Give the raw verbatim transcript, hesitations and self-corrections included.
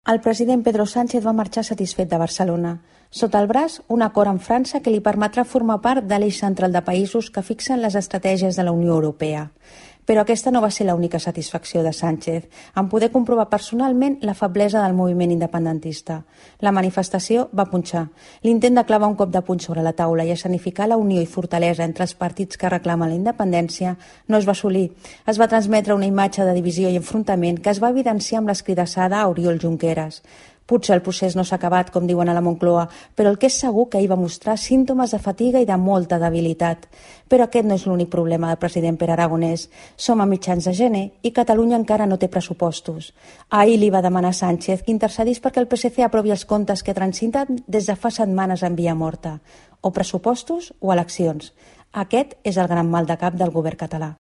El president Pedro Sánchez va marxar satisfet de Barcelona. Sota el braç, un acord amb França que li permetrà formar part de l'eix central de països que fixen les estratègies de la Unió Europea. Però aquesta no va ser l'única satisfacció de Sánchez, en poder comprovar personalment la feblesa del moviment independentista. La manifestació va punxar. L'intent de clavar un cop de puny sobre la taula i escenificar la unió i fortalesa entre els partits que reclamen la independència no es va assolir. Es va transmetre una imatge de divisió i enfrontament que es va evidenciar amb l'escridassada a Oriol Junqueras. Potser el procés no s'ha acabat, com diuen a la Moncloa, però el que és segur que ahir va mostrar símptomes de fatiga i de molta debilitat. Però aquest no és l'únic problema del president Pere Aragonès. Som a mitjans de gener i Catalunya encara no té pressupostos. Ahir li va demanar a Sánchez que intercedís perquè el P S C aprovi els comptes que transiten des de fa setmanes en via morta. O pressupostos o eleccions. Aquest és el gran mal de cap del govern català.